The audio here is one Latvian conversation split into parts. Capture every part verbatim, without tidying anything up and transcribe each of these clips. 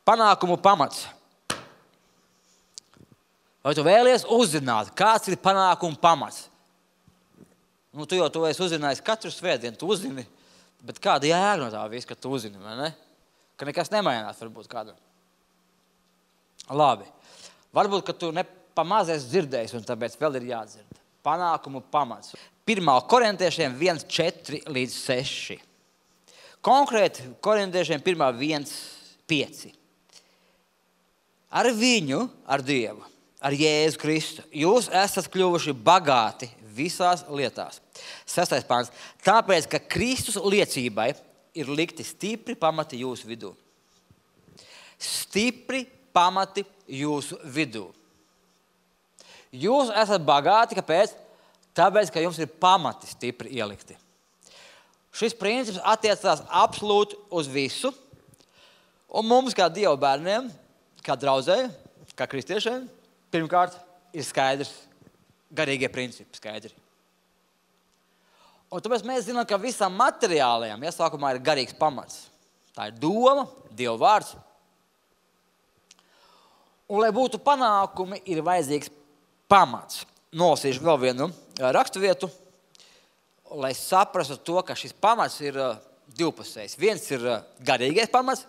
Panākumu pamats. Vai tu vēlies uzzināt, kāds ir panākumu pamats? Nu, tu jau to esi uzzinājis katru svētdienu, tu uzzini, bet kāda jēga no tā viss, ka tu uzzini, vai ne? Ka nekas nemainās varbūt kādam. Labi. Varbūt, ka tu nepamaz esi dzirdējis, un tāpēc vēl ir jādzird. Panākumu pamats. Pirmā korintiešiem viens, četri līdz seši. Konkrēti korintiešiem pirmā viens, pieci. Ar viņu, ar Dievu, ar Jēzu Kristu, jūs esat kļuvuši bagāti visās lietās. Sestais pāns. Tāpēc, ka Kristus liecībai ir likti stipri pamati jūsu vidū. Stipri pamati jūsu vidū. Jūs esat bagāti, kāpēc? Tāpēc, ka jums ir pamati stipri ielikti. Šis princips attiecās absolūti uz visu. Un mums, kā Dieva bērniem, kā draudzēji, kā kristiešiem, pirmkārt ir skaidrs, garīgie principi skaidri. Un tāpēc mēs zinām, ka visam materiālajam iesākumā ir garīgs pamats. Tā ir doma, Dieva vārds. Un, lai būtu panākumi, ir vajadzīgs pamats. Nolasīšu vēl vienu raksturvietu, lai saprastu to, ka šis pamats ir divpusējs. Viens ir garīgais pamats.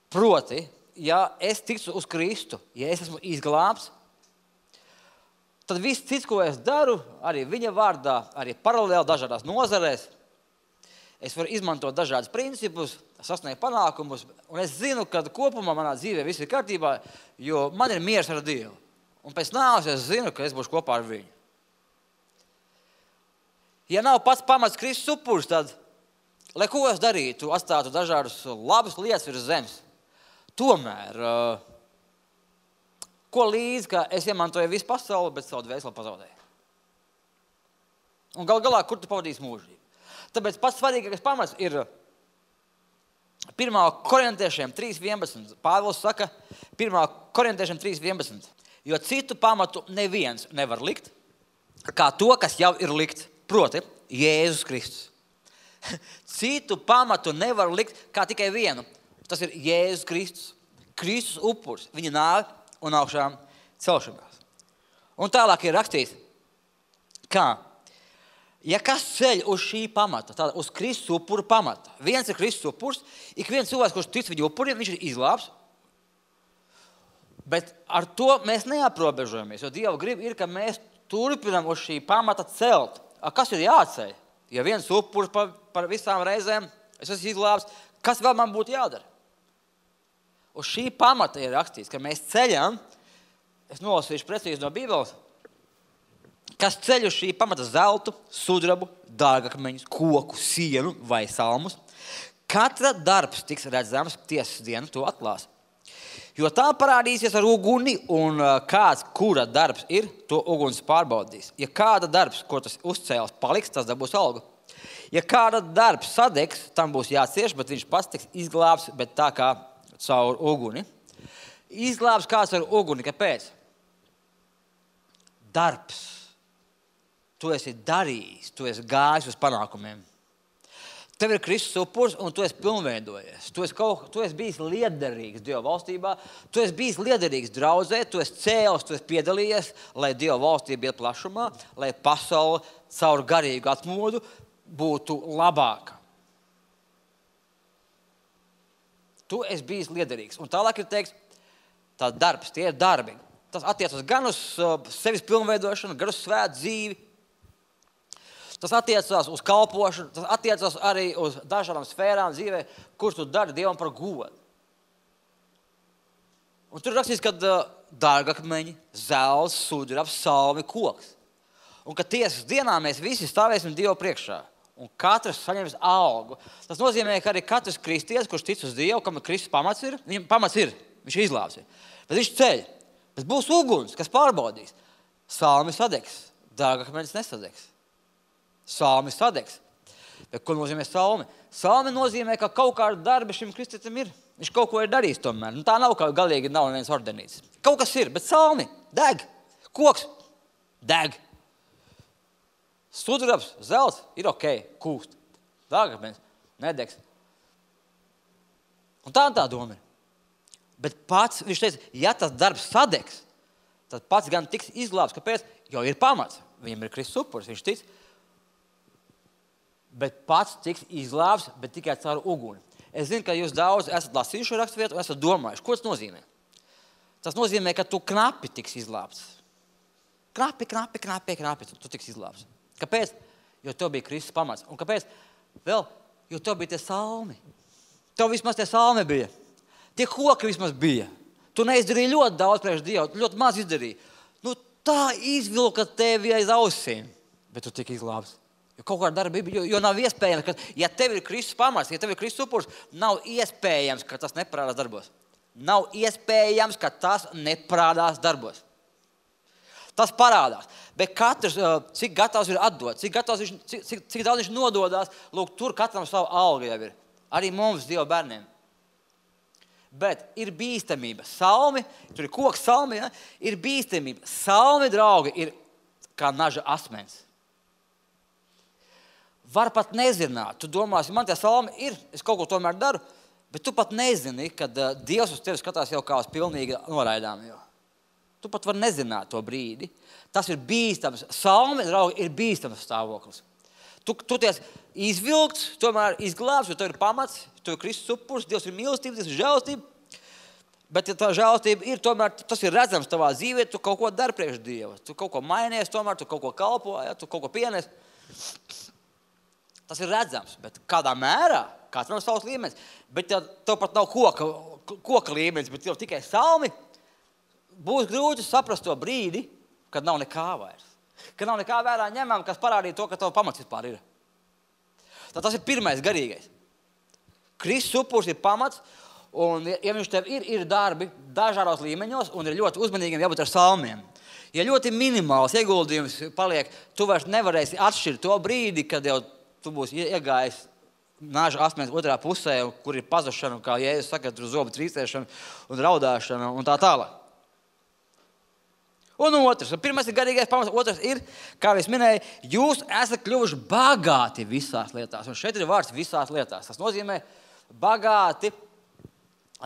Proti, ja es ticu uz Kristu, ja es esmu izglābts, tad viss cits, ko es daru, arī viņa vārdā, arī paralēli dažādās nozarēs, es varu izmantot dažādus principus, sasniegt panākumus, un es zinu, ka kopumā manā dzīvē viss ir kārtībā, jo man ir miers ar Dievu. Un pēc nāves es zinu, ka es būšu kopā ar viņu. Ja nav pats pamats Kristus upuris, tad, lai ko es darītu, atstātu dažādus labus lietas virs zemes, tomēr, ko līdz, ka es iemantoju visu pasauli, bet savu dvēseli pazaudēju. Un gal galā, kur tu pavadīsi mūžību? Tāpēc pats svarīgākais pamats ir pirmā korintiešiem trīs vienpadsmit. Pāvils saka, pirmā korintiešiem trīs vienpadsmit. Jo citu pamatu neviens nevar likt, kā to, kas jau ir likt, proti, Jēzus Kristus. Citu pamatu nevar likt, kā tikai vienu. Tas ir Jēzus Kristus. Kristus upuris, viņa nāve un augšām celšanās. Un tālāk ir rakstīts, kā, ja kas ceļ uz šī pamata, tāda uz Kristus upura pamata, viens ir Kristus upurs, ik viens cilvēks, kurš tic viņa upuriem, viņš ir izglābs, bet ar to mēs neaprobežojamies, jo Dieva grib ir, ka mēs turpinām uz šī pamata celt. A, kas ir jāceļ? Ja viens upurs par, par visām reizēm, es esmu izglābs, kas vēl man būtu jādara? Uz šī pamata ir rakstīts, ka mēs ceļam, es nolasīšu precīzi no Bībeles, kas ceļ uz šī pamata zeltu, sudrabu, dārgakmeņus, koku, sienu vai salmus. Katra darbs tiks redzams tiesas dienu to atklās. Jo tā parādīsies ar uguni, un kāds, kura darbs ir, to uguns pārbaudīs. Ja kāda darbs, ko tas uzcēls, paliks, tas dabūs algu. Ja kāda darbs sadegs, tam būs jācieš, bet viņš pats tiks izglābs, bet tā kā caur uguni. Izglābs kāds ar uguni, kāpēc? Darbs. Tu esi darījis, tu esi gājis uz panākumiem. Tev ir Kristus upurs, un tu esi pilnveidojies. Tu esi, kaut, tu esi bijis liederīgs Dieva valstībā, tu esi bijis liederīgs draudzē, tu esi cēlis, tu esi piedalījies, lai Dieva valstība iet plašumā, lai pasaule caur garīgu atmodu būtu labāka. Tu esi bijis liederīgs. Un tālāk ir teiks, tā darbs, tie ir darbi. Tas attiecas gan uz sevis pilnveidošanu, gan uz svētu dzīvi. Tas attiecās uz kalpošanu, tas attiecās arī uz dažādām sfērām dzīvē, kurš tu dari Dievam par godu. Un tur rakstīts, ka dārgakmeņi, zelts, sudrabs, salmi, koks. Un ka tiesas dienā mēs visi stāvēsim Dievu priekšā. Un katrs saņems algu. Tas nozīmē, ka arī katrs kristietis, kurš tic uz Dievu, kam Kristus pamats ir, viņam pamats ir, viņš ir izglābs. Bet viņš ceļ. Bet būs uguns, kas pārbaudīs. Salmi sadegs, dārgakmeņs nesadegs. Salmi sadegs. Bet ko nozīmē salmi? Salmi nozīmē, ka kaut kāda darba šim kristietim ir. Viņš kaut ko ir darījis tomēr. Nu, tā nav, ka galīgi nav neviens ordenīts. Kaut kas ir, bet salmi deg. Koks deg. Sudrabs, zelts ir ok, kūst. Dārgakmeņs nedegs. Un tā tā doma ir. Bet pats, viņš teica, ja tas darbs sadegs, tad pats gan tiks izglābts. Kāpēc? Jo ir pamats. Viņam ir Kristus upuris, viņš tic. Bet pats tiks izglābts, bet tikai caur uguni. Es zinu, ka jūs daudz esat lasījuši raksturvietu un esat domājuši. Ko tas nozīmē? Tas nozīmē, ka tu knapi tiks izglābts. Knapi, knapi, knapi, knapi, tu, tu tiks izglābts. Kāpēc? Jo tev bija Kristus pamats. Un kāpēc? Vēl, jo tev bija tie salmi. Tev vismaz tie salmi bija. Tie koki vismaz bija. Tu neizdarīji ļoti daudz priekš Dievu, ļoti maz izdarīji. Nu, tā izvilka tevi aiz ausīm, bet tu tiki izglābts. Jo kaut kāda darbība, jo, jo nav iespējams, ka, ja tev ir Kristus pamats, ja tev ir Kristus upuris, nav iespējams, ka tas neparādās darbos. Nav iespējams, ka tas neparādās darbos. Tas parādās. Bet katrs, cik gatavs ir atdot, cik, gatavs viņš, cik, cik, cik daudz viņš nododās, lūk, tur katram savu algu jau ir. Arī mums, Dieva bērniem. Bet ir bīstamība. Salmi, tur ir koks salmi, ja? Ir bīstamība. Salmi, draugi, ir kā naža asmens. Var pat nezināt. Tu domāsi, man tie salmi ir, es kaut ko tomēr daru, bet tu pat nezini, kad uh, Dievs uz tevi skatās jau kā uz pilnīgi noraidām. Jo. Tu pat var nezināt to brīdi. Tas ir bīstams. Salmi, draugi, ir bīstams stāvoklis. Tu, tu ties izvilkts, tomēr izglābs, jo tev ir pamats, tu ir Kristus upuris, Dievs ir mīlestība, Dievs ir žēlastība. Bet ja tā žēlastība ir, tomēr tas ir redzams tavā dzīvē, tu kaut ko dari priekš Dieva. Tu kaut ko mainies, tomēr tu kaut ko kalpo, ja? Tu kaut ko pienies. Tas ir redzams, bet kādā mērā, katram savs līmenis. Bet ja tev pat nav koka, koka līmenis, bet tev tikai salmi, būs grūti saprast to brīdi, kad nav nekā vairs. Kad nav nekā vērā ņemam, kas parādīja to, ka tev pamats vispār ir. Tad tas ir pirmais garīgais. Kristus upuris ir pamats, un ja viņš tev ir, ir darbi dažādos līmeņos, un ir ļoti uzmanīgiem jābūt ar salmiem. Ja ļoti minimāls ieguldījums paliek, tu vairs nevarēsi atšķirt to brīdi, kad jau tu būsi iegājis nāža asmens otrā pusē, kur ir pazušana, kā Jēzus saka, tur zobu trīcēšana un raudāšana un tā tālāk. Un otrs, pirmais ir garīgais pamats, otrs ir, kā es minēju, jūs esat kļuvuši bagāti visās lietās. Un šeit ir vārds visās lietās. Tas nozīmē bagāti,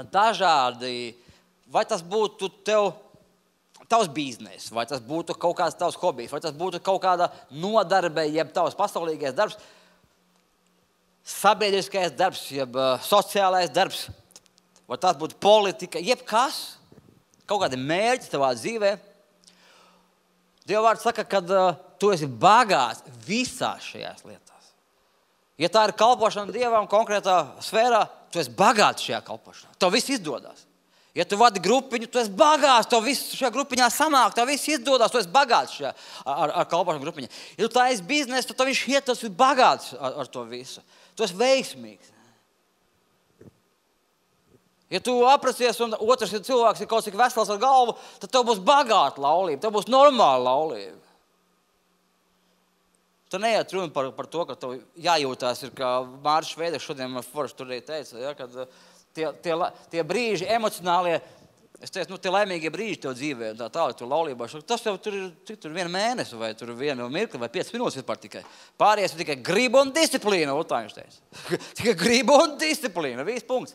dažādi, vai tas būtu tev, tavs biznes, vai tas būtu kaut kāds tavs hobijs, vai tas būtu kaut kāda nodarbe, jeb tavs pasaulīgais darbs, sabiedriskais darbs, jeb uh, sociālais darbs, vai tas būtu politika, jeb kas, kaut kādi mērķi tavā dzīvē. Dieva vārds saka, ka uh, tu esi bagāts visās šajās lietās. Ja tā ir kalpošana Dievam konkrētā sfērā, tu esi bagāts šajā kalpošanā. Tev viss izdodas. Ja tu vadi grupiņu, tu esi bagāts, tev viss šajā grupiņā sanāk, tev viss izdodas, tu esi bagāts šajā ar, ar kalpošanu grupiņā. Ja tu tā esi biznes, tad tev viņš iet, tas ir bagāts ar, ar to visu. Tu esi veiksmīgs. Ja tu apracies un otrs ja cilvēks ir kaut cik vesels ar galvu, tad tev būs bagāta laulība, tev būs normāla laulība. Tu neiet runa par, par to, ka tev jājūtās, ir, kā Mārcis Šveideks šodien man forši tur arī teica, ja, kad tie, tie, tie brīži emocionālie, es teicu, nu, tie laimīgie brīži tev dzīvē, tā tālāk tur laulībā, tas jau tur ir cik tur vienu mēnesi vai tur vienu mirkli vai piecas minūtes vispār tikai. Pārējais ir tikai griba un disciplīna, un tā viņš teica. Tikai griba un disciplīna, viss punkts.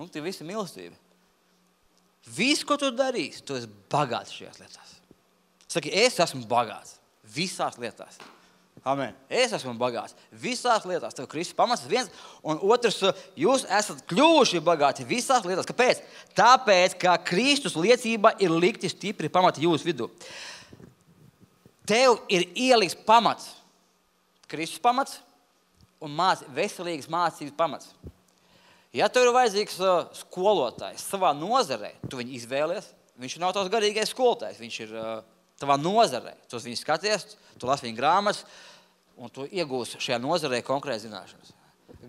Un tie visi mīlestība. Viss, ko tu darīsi, tu esi bagāts šajās lietās. Saki, es esmu bagāts visās lietās. Amen. Es esmu bagāts visās lietās. Tev Kristus pamats viens, un otrs, jūs esat kļuvuši bagāti visās lietās. Kāpēc? Tāpēc, ka Kristus liecība ir likti stipri pamati jūsu vidū. Tev ir ieliks pamats. Kristus pamats un māc, veselīgas mācības pamats. Ja tev ir vajadzīgs uh, skolotājs savā nozarē, tu viņu izvēlies, viņš nav tavs garīgais skolotājs, viņš ir uh, tavā nozarē. Tu uz viņu skaties, tu lasi viņa grāmatas, un tu iegūsi šajā nozarē konkrēti zināšanas.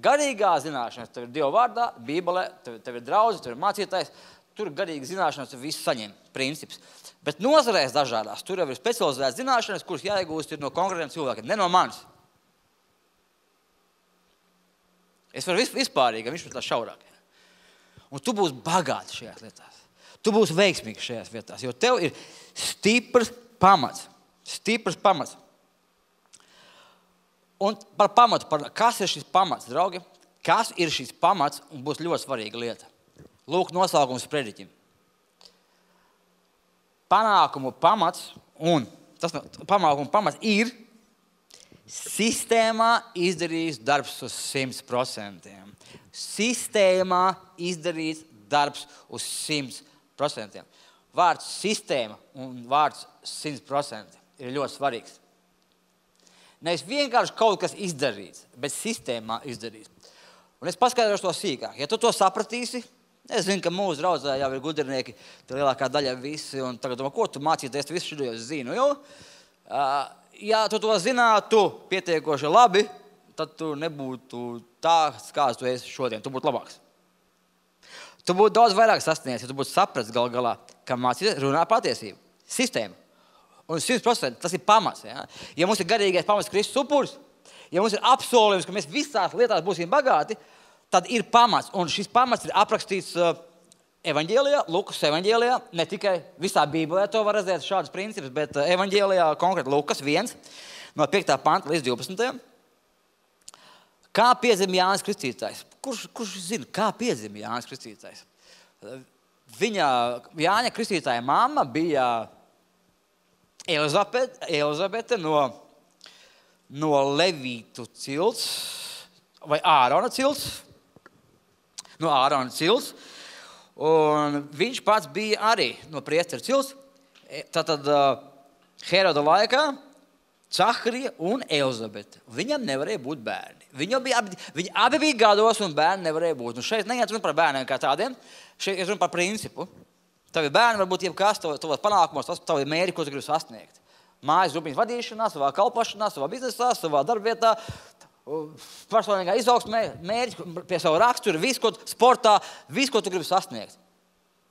Garīgā zināšanas, tev ir Dieva vārdā, Bībelē, tev, tev ir draudzi, tev ir mācītājs, tur ir garīga zināšanas, tu visu saņem, princips. Bet nozarēs dažādās, tur jau ir specializētas zināšanas, kuras jāiegūst ir no konkrētiem cilvēkiem, ne no manis. Es varu vispārīgi, viņš ir tā šaurāk. Un tu būsi bagāts šajās lietās. Tu būsi veiksmīgs šajās vietās, jo tev ir stiprs pamats. Stiprs pamats. Un par pamatu, par kas ir šis pamats, draugi? kas ir šis pamats, un būs ļoti svarīga lieta. Lūk, nosaukums prediķim. Panākumu pamats, un tas panākumu pamats ir sistēmā izdarījis darbs uz simt procentiem. Sistēmā izdarīts darbs uz simt procentiem. Vārds sistēma un vārds simt procenti ir ļoti svarīgs. Nevis vienkārši kaut kas izdarīts, bet sistēmā izdarīts. Un es paskaidrošu to sīkāk. Ja tu to sapratīsi, es zinu, ka mūsu draudzē jau ir gudrinieki, tā lielākā daļa visi, un tagad, ko tu mācīties, tu visu šo zinu. Jo, ja tu to zinātu pietiekoši labi, tad tu nebūtu tāds, kāds tu esi šodien. Tu būtu labāks. Tu būtu daudz vairāk sasniegts, ja tu būtu sapratis gal galā, ka mācīties runā patiesību. Sistēma. Un simt procenti tas ir pamats. Ja? Ja mums ir garīgais pamats Kristus upuris, ja mums ir apsolījums, ka mēs visās lietās būsim bagāti, tad ir pamats. Un šis pamats ir aprakstīts uh, evaņģēlijā, Lukas evaņģēlijā, ne tikai visā Bībelē to var redzēt šādus principus, bet uh, evaņģēlijā konkrēti Lukas viens, no piektā panta līdz divpadsmitajam. Kā piedzima Jānis Kristītājs? Kurš, kurš zina, kā piedzima Jānis Kristītājs? Viņa, Jāņa Kristītāja mamma bija Elizabete, Elizabete no, no Levītu cilts, vai Ārona cilts, no Ārona cilts, un viņš pats bija arī no priestera cilts. Tātad Heroda laikā Caharija un Elizabete. Viņam nevarēja būt bērni. Viņi bija, abi, viņi abi bija gados un bērni nevarēja būt. Un šeit neiet runa par bērniem kā tādiem, šeit ir runa par principu. Tavi bērni var būt jebkas, tavos panākumos, tavi mērķi, ko tu gribi sasniegt. Mājas grupiņas vadīšanā, savā kalpošanā, savā biznesā, savā darbvietā, personīgā izaugsmē, mērķi pie savu raksturu, visu, ko sportā, visu, ko tu gribi sasniegt.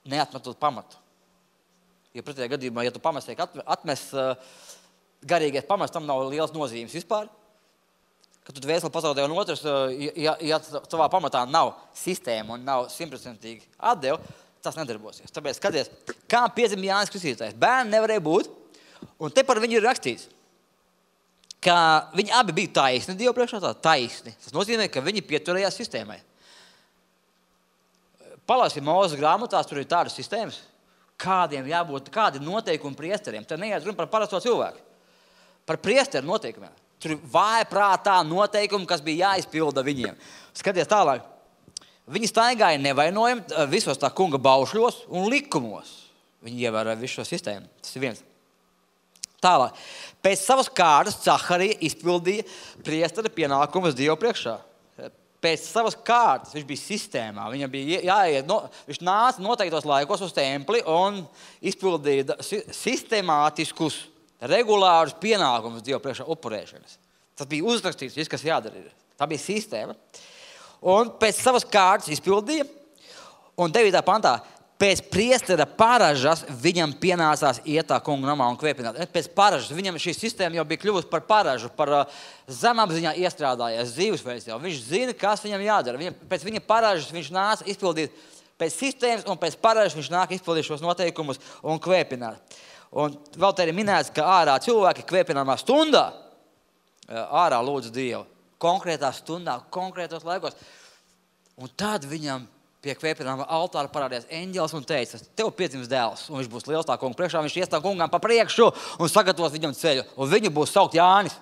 Neatmetot pamatu. Jo pretējā gadījumā, ja tu pamats tiek atmes, garīgais pamats, tam nav liels nozīmes vispār. Kad tu vēseli pazaudē un otrs, ja, ja tavā pamatā nav sistēma un nav simtprocentīgi atdeva, tas nedarbosies. Tāpēc skaties, kā piedzima Jānis Kristītājs. Bērni nevarēja būt, un te par viņu ir rakstīts, ka viņi abi bija taisni Dievu priekšā, tā taisni. Tas nozīmē, ka viņi pieturējās sistēmai. Palasi Mūzes grāmatās, tur ir tādas sistēmas, kādiem jābūt, kādi noteikumi priesteriem. Te neiet runa par parasto cilvēku. Par priesteru noteikumiem. Tur ir vājprātā noteikumi, kas bija jāizpilda viņiem. Skaties tālāk. Viņi staigāja nevainojami visos tā kunga baušļos un likumos. Viņi ievēroja visu šo sistēmu. Tas ir viens. Tālāk. Pēc savas kārtas Caharija izpildīja priestera pienākumus Dievu priekšā. Pēc savas kārtas viņš bija sistēmā. Viņam bija jāiet, no, viņš nāca noteiktos laikos uz templi un izpildīja sistemātiskus, regulārus pienākumus Dievu priekšā upurēšanas. Tas bija uzrakstīts, viss, kas jādara. Tā bija sistēma. Un pēc savas kārtas izpildīja, un devītā pantā, pēc priestera paražas viņam pienācās iet tā kunga namā un kvēpināt. Pēc paražas viņam šī sistēma jau bija kļuvusi par paražu, par uh, zemapziņā iestrādājies dzīvesveids jau. Viņš zina, kas viņam jādara. Viņam, pēc viņa paražas viņš nāca izpildīt pēc sistēmas, un pēc paražas viņš nāk izpildīt šos noteikumus un kvēpināt. Un vēl te ir minēts, ka ārā cilvēki kvēpināmā stundā ārā lūdz Dievu. Konkrētā stundā, konkrētos laikos. Un tad viņam pie kvēpināmā altāra parādījās eņģelis un teica, tev piedzims dēls, un viņš būs liels tā kunga priekšā, viņš ies tā kungām pa priekšu un sagatavos viņam ceļu, un viņu būs saukt Jānis.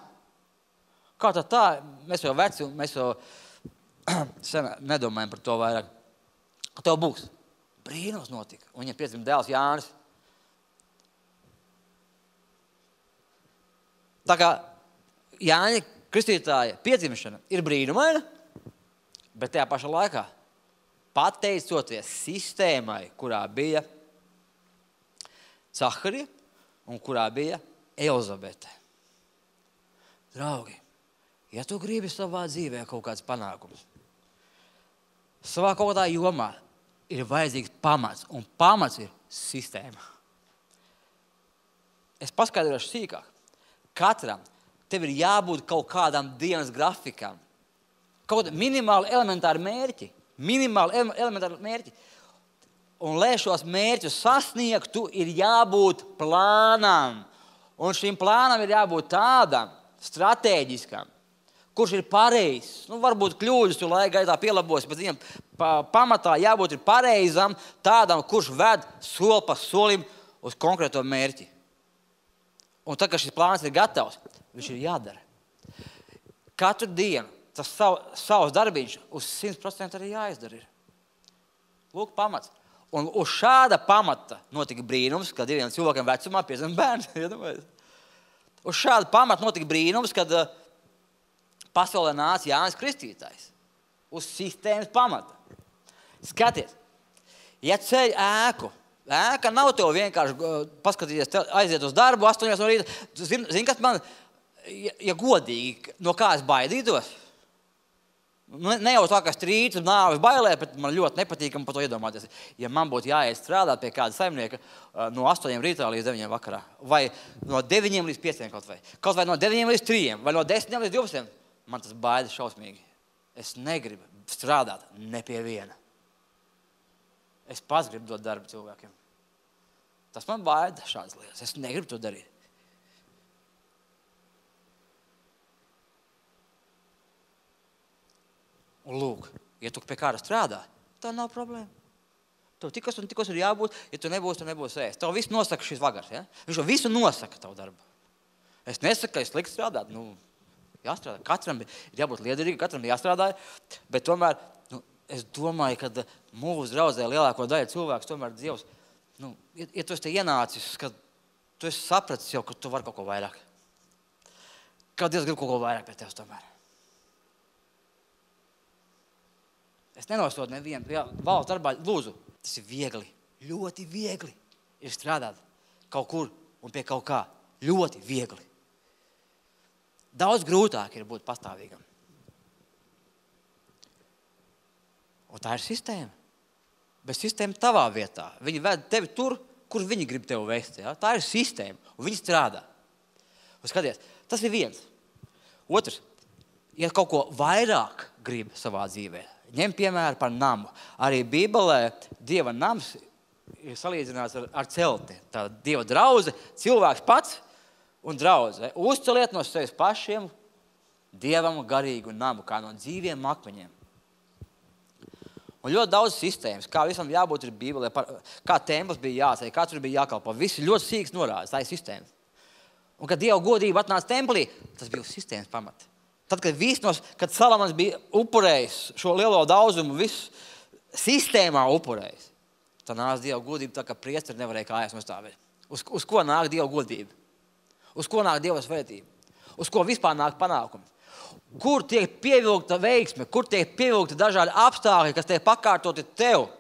Kā tad tā? Mēs jau veci, mēs jau sen nedomājam par to vairāk. Tev būs. Brīnums notika, un viņam piedzims dēls Jānis. Tā kā Jāņa Kristītāja piedzimšana ir brīnumaina, bet tajā pašā laikā pateicoties sistēmai, kurā bija Caharija un kurā bija Elizabete. Draugi, ja tu gribi savā dzīvē kaut kāds panākums, savā kaut kādā jomā ir vajadzīgs pamats, un pamats ir sistēma. Es paskaidrošu sīkāk. Katram tev ir jābūt kaut kādam dienas grafikam. Kaut minimāli elementāri mērķi. Minimāli elementāri mērķi. Un, lai šos mērķus sasniegtu, ir jābūt plānam. Un šim plānam ir jābūt tādam, stratēģiskam, kurš ir pareizs. Nu, varbūt kļūdas tu laika gaitā pielabos, bet viņam pa, pamatā jābūt ir pareizam, tādam, kurš ved soli pa solim uz konkrēto mērķi. Un tad, kad šis plāns ir gatavs, viņš ir jādara. Katru dienu tas sav, savs darbiņš uz simt procenti arī jāizdara. Lūk, pamats. Un uz šāda pamata notika brīnums, kad diviem cilvēkiem vecumā piedzima bērns. Uz šāda pamata notika brīnums, kad uh, pasaulē nāca Jānis Kristītājs. Uz sistēmas pamata. Skaties, ja ceļ ēku, ēka nav tev vienkārši uh, paskatīties, aiziet uz darbu, astoņos no rīta. Zini, zin, kas man, ja, ja godīgi, no kā es baidītos? Ne jau tā, ka strīds un nāves bailē, bet man ļoti nepatīkam par to iedomāties. Ja man būtu jāiet strādāt pie kāda saimnieka no astoņiem rītā līdz deviņiem vakarā, vai no deviņiem līdz pieciem kaut vai, kaut vai no deviņiem līdz trījiem, vai no desmitiem līdz divdesmitiem, man tas baida šausmīgi. Es negribu strādāt ne pie viena. Es pats gribu dot darbu cilvēkiem. Tas man baida šādas lietas. Es negribu to darīt. Un lūk, ja tu pie kāda strādā, tā nav problēma. Tev tikos un tikos ir jābūt, ja tu nebūsi, tu nebūsi ēst. Tev visu nosaka šis vagars, ja? Viņš jau visu nosaka tavu darbu. Es nesaku, ka es slikti strādāt. Nu, jāstrādā. Katram ir jābūt liederīgi, katram ir jāstrādā. Bet tomēr, nu, es domāju, ka mūsu draudzē lielāko daļu cilvēks tomēr Dievs, nu, ja, ja tu esi te ienācis, ka tu esi sapratis jau, ka tu vari kaut ko vairāk. Ka Dievs grib kaut ko vairāk pie tevis tomēr. Es nenosodu nevienu. Jā, valsts darbā, lūdzu, tas ir viegli, ļoti viegli ir strādāt kaut kur un pie kaut kā. Ļoti viegli. Daudz grūtāk ir būt pastāvīgam. Un tā ir sistēma. Bet sistēma tavā vietā. Viņi ved tevi tur, kur viņi grib tevi vest. Ja? Tā ir sistēma, un viņi strādā. Un skaties, tas ir viens. Otrs, ja kaut ko vairāk grib savā dzīvē, ņem piemēru par namu. Arī Bībelē Dieva nams ir salīdzināts ar, ar celti. Tā Dieva draudze, cilvēks pats un draudze. Uzceliet no sevis pašiem Dievam garīgu namu, kā no dzīviem akmeņiem. Un ļoti daudz sistēmas, kā visam jābūt ir Bībelē, par, kā templis bija jāceļ, kā tur bija jākalpo. Visi ļoti sīks norādes, tā ir sistēma. Un kad Dieva godība atnāca templī, tas bija uz sistēmas pamata. Tad, kad, nos, kad Salamans bija upurējis šo lielo daudzumu, visu sistēmā upurējis, tad nāca Dieva godība tā, ka priesteri nevarēja kājas nostāvēt. Uz, uz ko nāk Dieva godība? Uz ko nāk Dieva svētība? Uz ko vispār nāk panākumi? Kur tiek pievilkta veiksme? Kur tiek pievilkta dažādi apstākļi, kas tiek pakārtoti tev?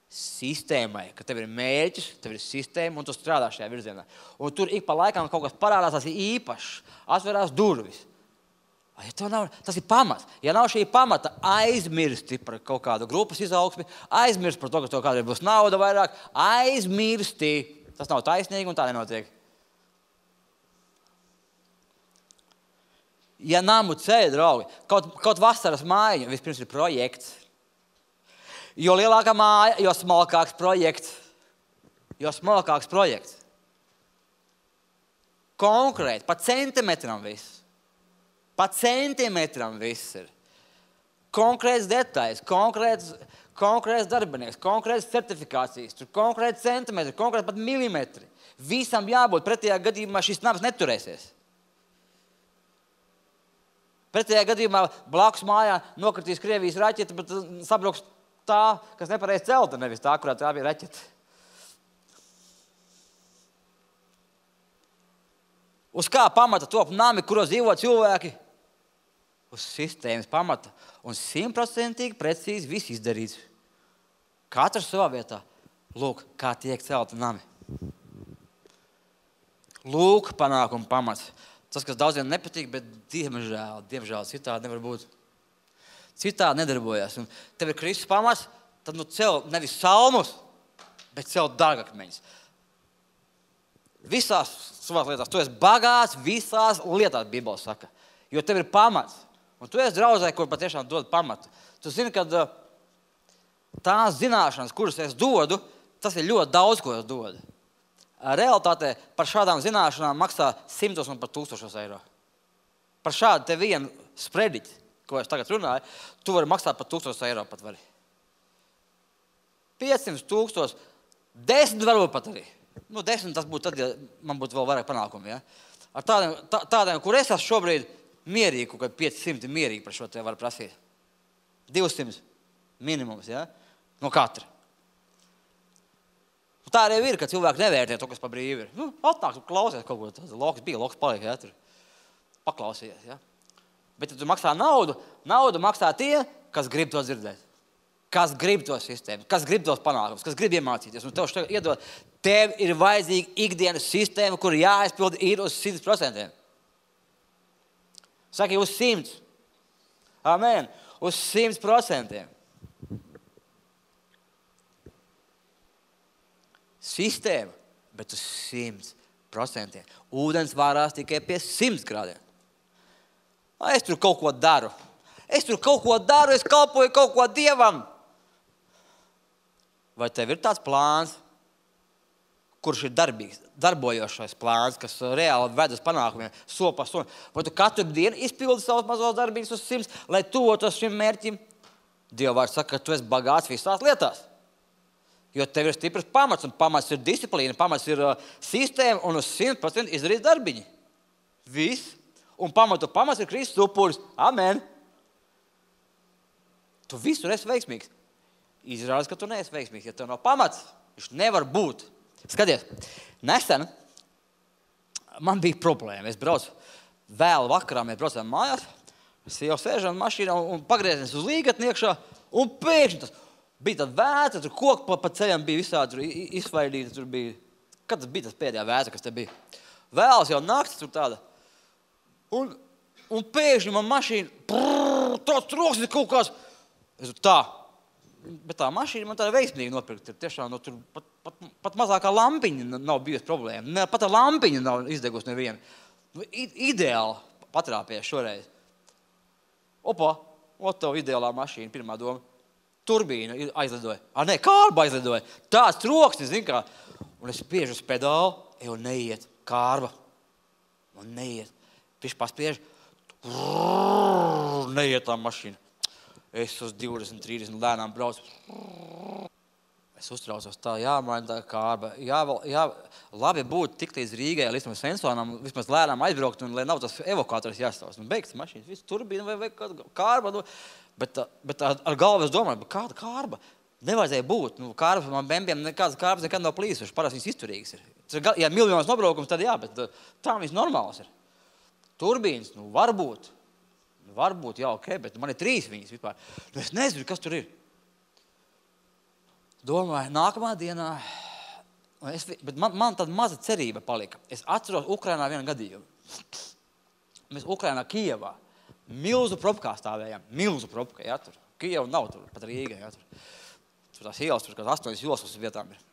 Sistēmai, ka tev ir mērķis, tev ir sistēma un tu strādā šajā virzienā. Un tur ik pa laikam kaut kas parādās, tas ir īpašs, atverās durvis. Ja nav, tas ir pamats. Ja nav šī pamata, aizmirsti par kaut kādu grupas izaugsmi, aizmirsti par to, ka tev kādreiz būs nauda vairāk, aizmirsti. Tas nav taisnīgi un tā nenotiek. Ja namu ceļ, draugi, kaut, kaut vasaras mājiņa, vispirms ir projekts. Jo lielākā māja, jo smalkāks projekts. Jo smalkāks projekts. Konkrēti, pa centimetram viss. Pa centimetram viss ir. Konkrēts detaļas, konkrēts, konkrēts darbinieks, konkrēts certifikācijas, tur konkrēts centimetri, konkrēts pat milimetri. Visam jābūt, pretējā gadījumā šis nams neturēsies. Pretējā gadījumā blakus mājā nokritīs Krievijas raķete, bet sabruks tā, kas nepareiz celta, nevis tā, kurā tā bija raķete. Uz kā pamata top nami, kuros dzīvo cilvēki? Uz sistēmas pamata. Un simtprocentīgi precīzi viss izdarīts. Katrs savā vietā. Lūk, kā tiek celti nami. Lūk, panākuma pamats. Tas, kas daudziem nepatīk, bet diemžēl, diemžēl citādi nevar būt. Citādi nedarbojas. Un tev ir Kristus pamats, tad nu cel nevis salmus, bet cel dārgakmeņus. Visās savās lietās. Tu esi bagāts visās lietās, Bībele saka. Jo tev ir pamats. Un tu esi draudzē, kur patiešām dod pamatu. Tu zini, ka tās zināšanas, kuras es dodu, tas ir ļoti daudz, ko es dodu. Realitātē par šādām zināšanām maksā simtos un pat tūkstošos eiro. par šādu te vienu sprediķi, ko es tagad runāju, tu vari maksāt par tūkstoš eiro pat vari. piecsimt tūkstoši, desmit varbūt pat arī. Nu, desmit tas būtu tad, ja man būtu vēl vairāk panākumi, ja? Ar tādiem, tā, tādiem, kur es esmu šobrīd mierīgi, kaut kā piecsimt mierīgi par šo te var prasīt. divsimt minimums, ja? No katra. Un tā arī ir, ka cilvēki nevērtē to, kas pa brīvi ir. Nu, atnāk, tu klausies kaut ko, tas loks bija, loks paliek, ja? Tur paklausies, ja? Bet, ja tu maksā naudu, naudu maksā tie, kas grib to dzirdēt. Kas grib to sistēmu, kas grib tos panākumus, kas grib iemācīties. Un tev šeit iedod, tev ir vajadzīga ikdienas sistēma, kur jāizpild ir uz simt procentiem. Saki, uz simts. Amen. Uz simt procentiem. Sistēma, bet uz simt procentiem. Ūdens vārās tikai pie simt grādiem. Es tur kaut ko daru. Es tur kaut ko daru, es kalpoju kaut ko Dievam. Vai tev ir tāds plāns, kurš ir darbīgs, darbojošais plāns, kas reāli ved uz panākumiem, soli pa solim? Vai tu katru dienu izpildi savus mazos darbības uz simts, lai tuvotos šim mērķim? Dieva vārds saka, ka tu esi bagāts visās lietās. Jo tev ir stiprs pamats, un pamats ir disciplīna, pamats ir uh, sistēma, un uz simt procenti izdarīt darbiņi. Viss. Un pamatu pamats ir Kristus upuris. Amen. Tu visur esi veiksmīgs. Izrādās, ka tu neesi veiksmīgs. Ja tev nav pamats, viņš nevar būt. Skaties, nesen man bija problēma. Es braucu vēl vakarā, mēs braucām mājās. Es jau sēžam mašīnā un pagrieziens uz līgatni iekšā. Un pēkšņi tas bija tāda vētra, tur koki pa, pa ceļam bija visādi tur izsvaidīti. Tur bija, kad tas bija tas pēdējā vētra, kas te bija? Vēlas jau naktis tur tāda. Un, un pēkšņi man mašīna, brrr, tāds troksnis kaut kāds. Es tā. Bet tā mašīna man tāda veiksmīgi nopirkt. Tiešām no tur pat, pat, pat mazākā lampiņa nav bijusi problēma. Ne, pat tā lampiņa nav izdegusi neviena. I, ideāli patrāpējies šoreiz. Opa, ot tev ideālā mašīna, pirmā doma. Turbīna aizlidoja. A, ne, kārba aizlidoja. Tāds troksnis, zin kā. Un es spiežu uz pedālu, jau neiet. Kārba. Man neiet. Viņš paspiež. Brrr, neiet tā mašīna. Es uz divdesmit, trīsdesmit lēnām braucu. Es uztraucos tā, jāmaina tā kārba. Jā, jā, labi būtu tik līdz Rīgai, līdz tam sensorām, vismaz lēnām aizbraukt, un lai nav tas evokators jāstāvs. Nu, beigts mašīnas, viss turbīna vai, vai kāda kārba. Nu, bet bet ar galvu es domāju, kāda kārba? Nevajadzēja būt. Nu, kārbas man bembiem nekādas kārbas nekad nav plīsuši. Parasti viņas izturīgas ir. Ja miljonas nobraukums, tad jā, bet tā viņas normālas ir. Turbīnas, nu varbūt. Varbūt, jā, ok, bet man ir trīs viņas vispār. Nu, es nezinu, kas tur ir. Domāju, nākamā dienā, es, bet man, man tāda maza cerība palika. Es atceros Ukrainā vienu gadījumu. Mēs Ukrainā, Kijevā, milzu propkā stāvējām. Milzu propkā, jā, tur. Kijeva nav tur, pat Rīga, jā, tur. Tur tās ielas, tur kāds astoņas ielas uz vietām ir.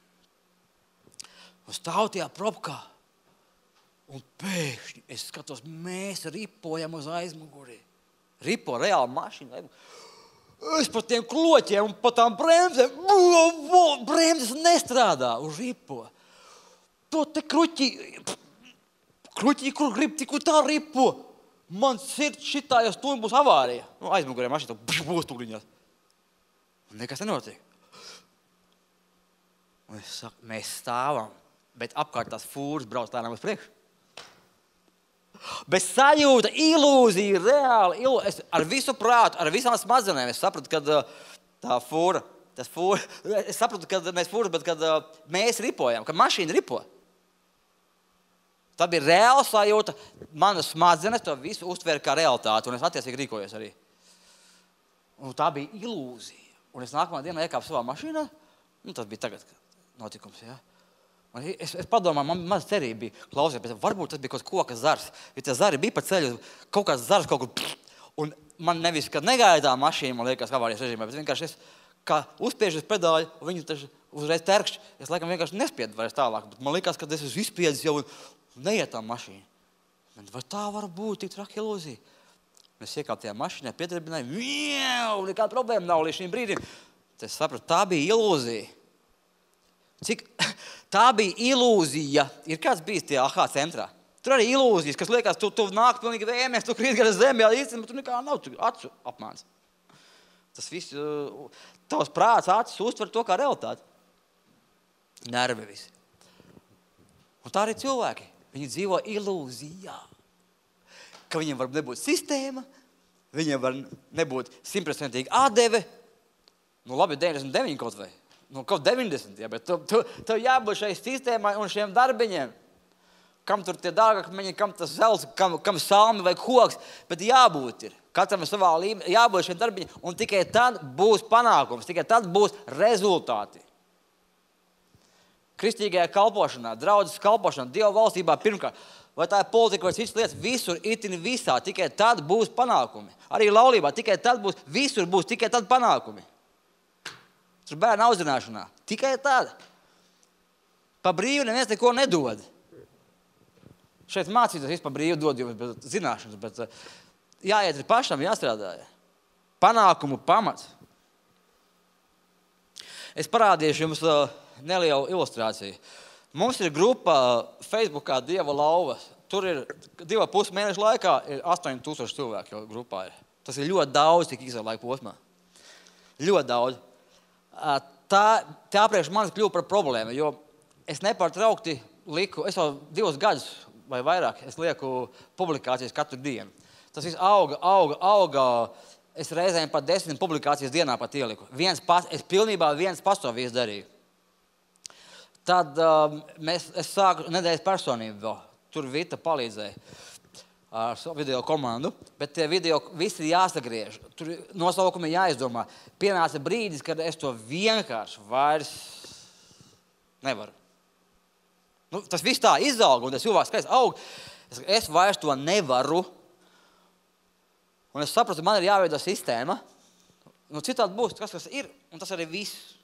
Un stāv tajā propkā. Un pēkšņi es skatos, mēs ripojam uz aizmuguri. Ripo, reāli mašīna. Es par tiem kloķiem un par tām bremzēm. Bremzes nestrādā uz ripo. To te kruķi, kruķi, kur grib, tik tā ripo. Man sirds šitā, ja stūm būs avārija. Nu, aizmugurē mašīna, būs tūkriņās. Un nekas nenotiek. Un es saku, mēs stāvam, bet apkārt tās fūras brauc lēnām uz priekšu. Bet sajūta, ilūzija, reāli, ilūzija. Es ar visu prātu, ar visām smadzenēm es sapratu, kad tā fūra, tas fūra, es sapratu, kad mēs fūras, bet kad mēs ripojam, kad mašīna ripo. Tā bija reāla sajūta, manas smadzenes to visu uztvēra kā realitāti, un es attiecīgi rīkojos arī. Un tā bija ilūzija. Un es nākamā dienā iekāpu savā mašīnā, nu tas bija tagad notikums, jā. Es, es padomāju, man maz cerība bija, klausies, bet varbūt tas bija kaut koka zars. Ja tie zari bija pa ceļu, kaut kāds zars kaut kur, un man nevis, kad negaidā mašīna, man liekas, avārijas režīmā, bet vienkārši es kā uzspiežu uz pedāļu, un viņi taču uzreiz terkšķi. Es laikam vienkārši nespiedu vairs tālāk, bet man liekas, ka es esmu izspiedis jau un neiet tā mašīna. Vai tā var būt tik traka ilūzija? Mēs iekāp tajā mašīnā, piedarbināju, mjau, nekāda problēma nav līdz šīm brīdim. Tad es sapratu, tā bija ilūzija. Cik tā bija ilūzija. Ir kāds bijis tie A H centrā? Tur arī ilūzijas, kas liekas, tu, tu nāk pilnīgi vējamies, tu krīt gar zemi, jā, īstenībā tur nekā nav, tu acu apmāns. Tas viss, tavs prāts, acis uztver to kā realitāti. Nervi visi. Un tā arī cilvēki. Viņi dzīvo ilūzijā. Ka viņiem var nebūt sistēma, viņiem var nebūt simtprocentīgi atdeve. Nu labi, deviņdesmit deviņi kaut vai. Nu kaut deviņdesmit, jā, bet tev, tev, tev jābūt šai sistēmai un šiem darbiņiem. Kam tur tie dārgakmeņi, kam tas zelts, kam, kam salmi vai koks, bet jābūt ir. Katram savā līmenī, jābūt šiem darbiņiem, un tikai tad būs panākums, tikai tad būs rezultāti. Kristīgajā kalpošanā, draudzes kalpošanā, Dieva valstībā pirmkārt, vai tā ir politika vai citas lietas, visur itin visā, tikai tad būs panākumi. Arī laulībā, tikai tad būs, visur būs, tikai tad panākumi. Tur bērnu audzināšanā, tikai tad. Pa brīvu neviens neko nedod. Šeit mācīties vispār brīvi dod jums bet zināšanas, bet jāiet ir pašam, jāstrādā. Panākumu pamats. Es parādīšu jums nelielu ilustrāciju. Mums ir grupa Facebookā Dieva lauvas. Tur ir divu pusi mēnešu laikā ir astoņi tūkstoši cilvēki jau grupā ir. Tas ir ļoti daudz, tik īsā laika posmā. Ļoti daudz. Tā, tā priekš manis kļuva par problēmu, jo es nepārtraukti liku, es jau divus gadus vai vairāk, es lieku publikācijas katru dienu. Tas viss auga, auga, auga. Es reizēm pat desmit publikācijas dienā pat ieliku. Viens pas, es pilnībā viens pastāvīs darīju. Tad um, mēs, es sāku nedēļas personību vēl. Tur Vita palīdzēja ar savu video komandu, bet tie video visi jāsagriež. Tur nosaukumi jāizdomā. Pienāca brīdis, kad es to vienkārši vairs nevaru. Nu, tas viss tā izauga, un tas cilvēks skaits aug. Es, es vairs to nevaru. Un es sapratu, man ir jāveido sistēma. Nu, citādi būs tas, kas ir, un tas arī viss.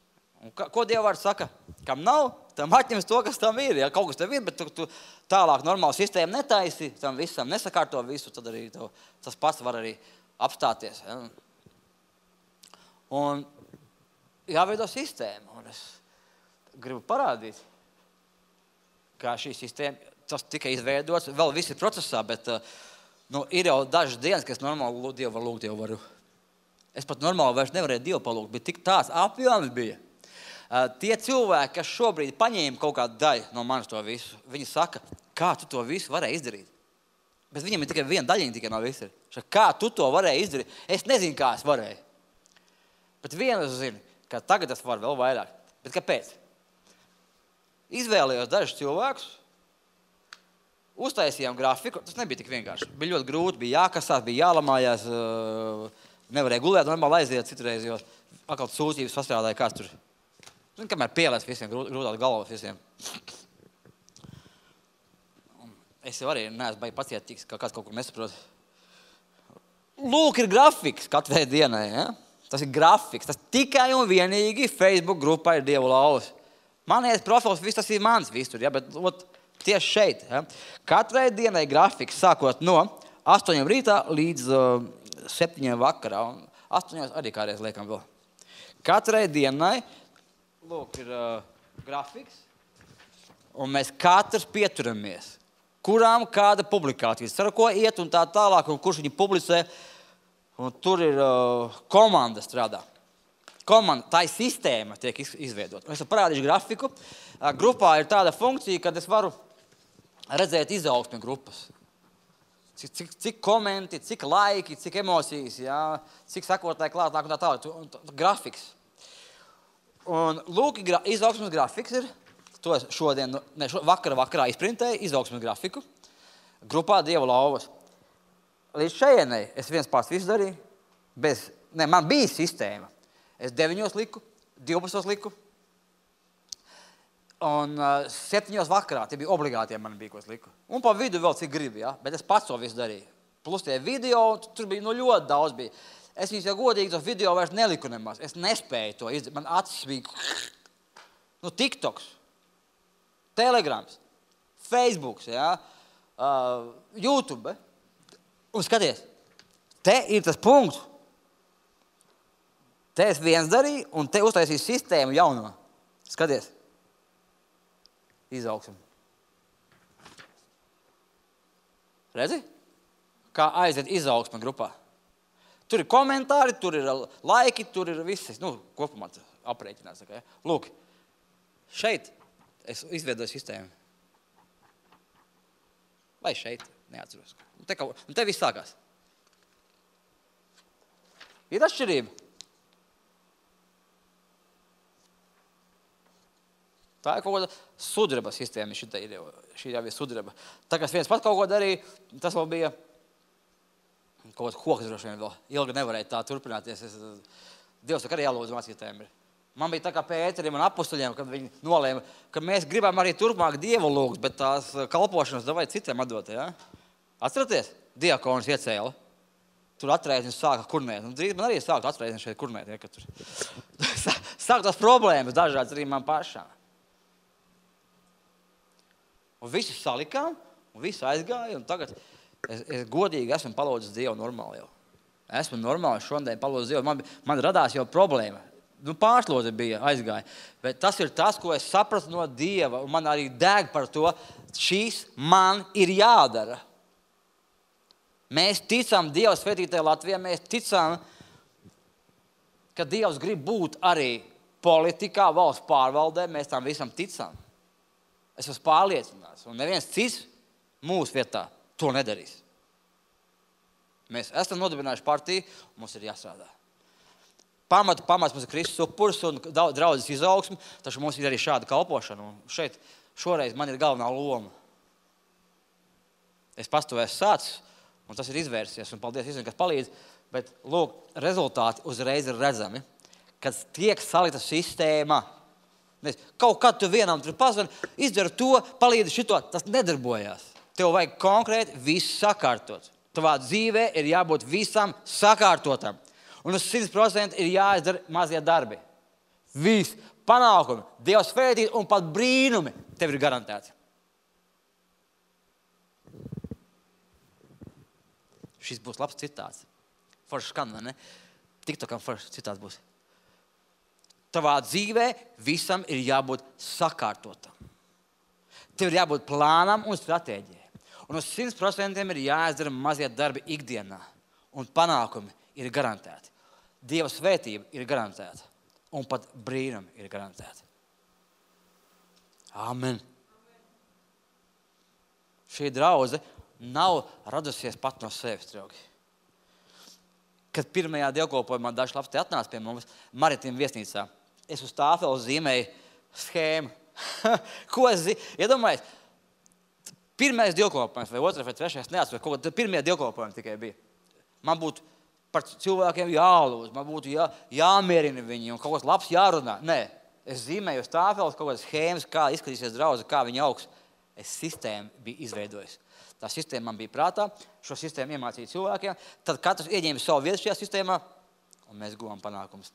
Un ka, ko Dieva vārds saka? Kam nav, tam atņems to, kas tam ir. Ja kaut kas tev ir, bet tu, tu tālāk normālu sistēmu netaisi, tam visam nesakārto visu, tad arī tev, tas pats var arī apstāties. Ja? Un jāveido sistēma. Un es gribu parādīt, kā šī sistēma, tas tika izveidots, vēl viss ir procesā, bet nu, ir jau dažas dienas, ka es normāli Dievu var lūgt, jau varu. Es pat normāli vairs nevarēju Dievu palūgt, bet tik tāds apjoms bija. Uh, tie cilvēki, kas šobrīd paņēma kaut kādu daļu no manis to visu, viņi saka, kā tu to visu varēji izdarīt? Bet viņam ir tikai viena daļiņa tikai no visu. Kā tu to varēji izdarīt? Es nezinu, kā es varēju. Bet vienu es zinu, ka tagad es varu vēl vairāk. Bet kāpēc? Izvēlējos dažus cilvēkus, uztaisījām grafiku, tas nebija tik vienkārši. Bija ļoti grūti, bija jākasās, bija jālamājās, nevarēja gulēt, normāli aiziet citreiz, jo atkal sūdzības sastrādāja, kāds tur. Zin, kamēr pielēs visiem, grūtāt galvas visiem. Es jau arī neesmu baigi pacietīgs, kā kāds kaut kur nesaprot. Lūk, ir grafiks katrai dienai, ja? Tas ir grafiks, tas tikai un vienīgi Facebook grupā ir Dieva lauvas. Manies profils, viss tas ir mans visur, ja? Bet ot, tieši šeit. Ja? Katrai dienai grafiks sākot no astoņiem rītā līdz uh, septiņiem vakarā. Un astoņos arī kādreiz liekam vēl. Katrai dienai, lūk, ir uh, grafiks, un mēs katrs pieturamies. Kurām kāda publikācijas, ar ko iet un tā tālāk, un kurš viņi publicē, un tur ir uh, komanda strādā. Komanda, tā ir sistēma, tiek izveidota. Es parādīšu grafiku. Uh, grupā ir tāda funkcija, kad es varu redzēt izaugsmi grupas. Cik, cik, cik komenti, cik laiki, cik emocijas, jā, cik sakotāji klāt, nāk un tā tālāk. Un tā, tā, grafiks. Un lūk, gra, izaugsmes grafiks ir. To es šodien, ne, šo, vakara vakarā izprintēju, izaugsmes grafiku. Grupā Dieva lauvas. Līdz šejienei es viens pats visu darīju. Bez, ne, man bija sistēma. Es deviņos liku, divpadsmitos liku. Un uh, septiņos vakarā, tie bija obligāti, ja man bija, ko es liku. Un pa vidu vēl cik gribi, ja? Bet es pats to visu darīju. Plus tie video, tur bija nu, ļoti daudz bija. Es viņus jau godīgi tos video vairs neliku nemaz. Es nespēju to izdarīt. Man acis bija, nu, TikToks, Telegrams, Facebooks, ja? uh, YouTube. Un skaties, te ir tas punkts. Te es viens darīju, un te uztaisīju sistēmu jauno. Skaties. Izaugsmu. Redzi? Kā aiziet izaugsme grupā. Tur ir komentāri, tur ir laiki, tur ir viss. Nu, kopumā aprēķinās. Ja? Lūk, šeit es izveidoju sistēmu. Vai šeit? Neatceros. Un te, kaut, un te viss sākās. Ir atšķirība. Tā ir kaut kāda sudraba sistēma. Šitā ir, šī jau ir sudraba. Tā kā es viens pat kaut ko darīju, tas vēl bija kaut kāds koks droši vien vēl. Ilgi nevarēja tā turpināties. Es, Dievs tā kā arī jālūdz mācītājiem. Man bija tā kā Pēterim un apustuļiem, kad viņi nolēma, ka mēs gribam arī turpmāk Dievu lūgt, bet tās kalpošanas davai citiem atdot. Ja? Atceraties? Diakonis iecēla. Tur atrēznis sāka kurnēt. Un drīz man arī sāka atrēznis šeit kurnēt. Ja, tur. Sāk tās problēmas dažādas arī man pašām. Un visi salikām, un visi aizgāja, un tagad es, es godīgi esmu palūdzis Dievu normāli jau. Esmu normāli šodien palūdzis Dievu. Man, man radās jau problēma. Nu, pārslodze bija aizgāja. Bet tas ir tas, ko es sapratu no Dieva, un man arī deg par to. Šīs man ir jādara. Mēs ticam Dieva svētītajā Latvijā, mēs ticam, ka Dievs grib būt arī politikā, valsts pārvaldē, mēs tam visam ticam. Es esmu pārliecināts, un neviens cits mūsu vietā to nedarīs. Mēs esam nodibinājuši partiju, un mums ir jāstrādā. Pamatu, pamats mums ir Kristus upuris un draudzes izaugsme, taču mums ir arī šāda kalpošana. Un šeit šoreiz man ir galvenā loma. Es pats to esmu sācis, un tas ir izvērsies, un paldies visiem, kas palīdz. Bet, lūk, rezultāti uzreiz ir redzami, kad tiek salita sistēma. Kaut kad tu vienam tur pazvani, izdara to, palīdzi šito, tas nedarbojās. Tev vajag konkrēti visu sakārtot. Tavā dzīvē ir jābūt visam sakārtotam. Un uz simt procenti ir jāizdara mazie darbi. Viss, panākumi, Dieva svētīt un pat brīnumi tev ir garantēti. Šis būs labs citāts. Foršs skan, vai ne? TikTokam foršs citāts būs. Tavā dzīvē visam ir jābūt sakārtotam. Tev ir jābūt plānam un stratēģijai. Un uz simt procenti ir jāizdara mazie darbi ikdienā. Un panākumi ir garantēti. Dieva svētība ir garantēta. Un pat brīnumi ir garantēti. Amen. Šī draudze nav radusies pat no sevis, draugi. Kad pirmajā dievkalpojumā daži labs te atnāca pie mums Maritīm viesnīcā, es uz tāfeli zīmēju schēmu. Ko es zīmēju? Iedomājies, pirmais dievkalpojums vai otrais vai trešais, neatceros, kaut kā pirmie dievkalpojumi tikai bija. Man būtu par cilvēkiem jālūdz, man būtu jā, jāmierina viņi un kaut kas labs jārunā. Nē, es zīmēju uz tāfeles kaut kādas schēmas, kā izskatīsies draudze, kā viņa augs. Es sistēmu biju izveidojis. Tā sistēma man bija prātā, šo sistēmu iemācīja cilvēkiem, tad katrs ieņēma savu vietu šajā sistēmā, un mēs guvām panākumus.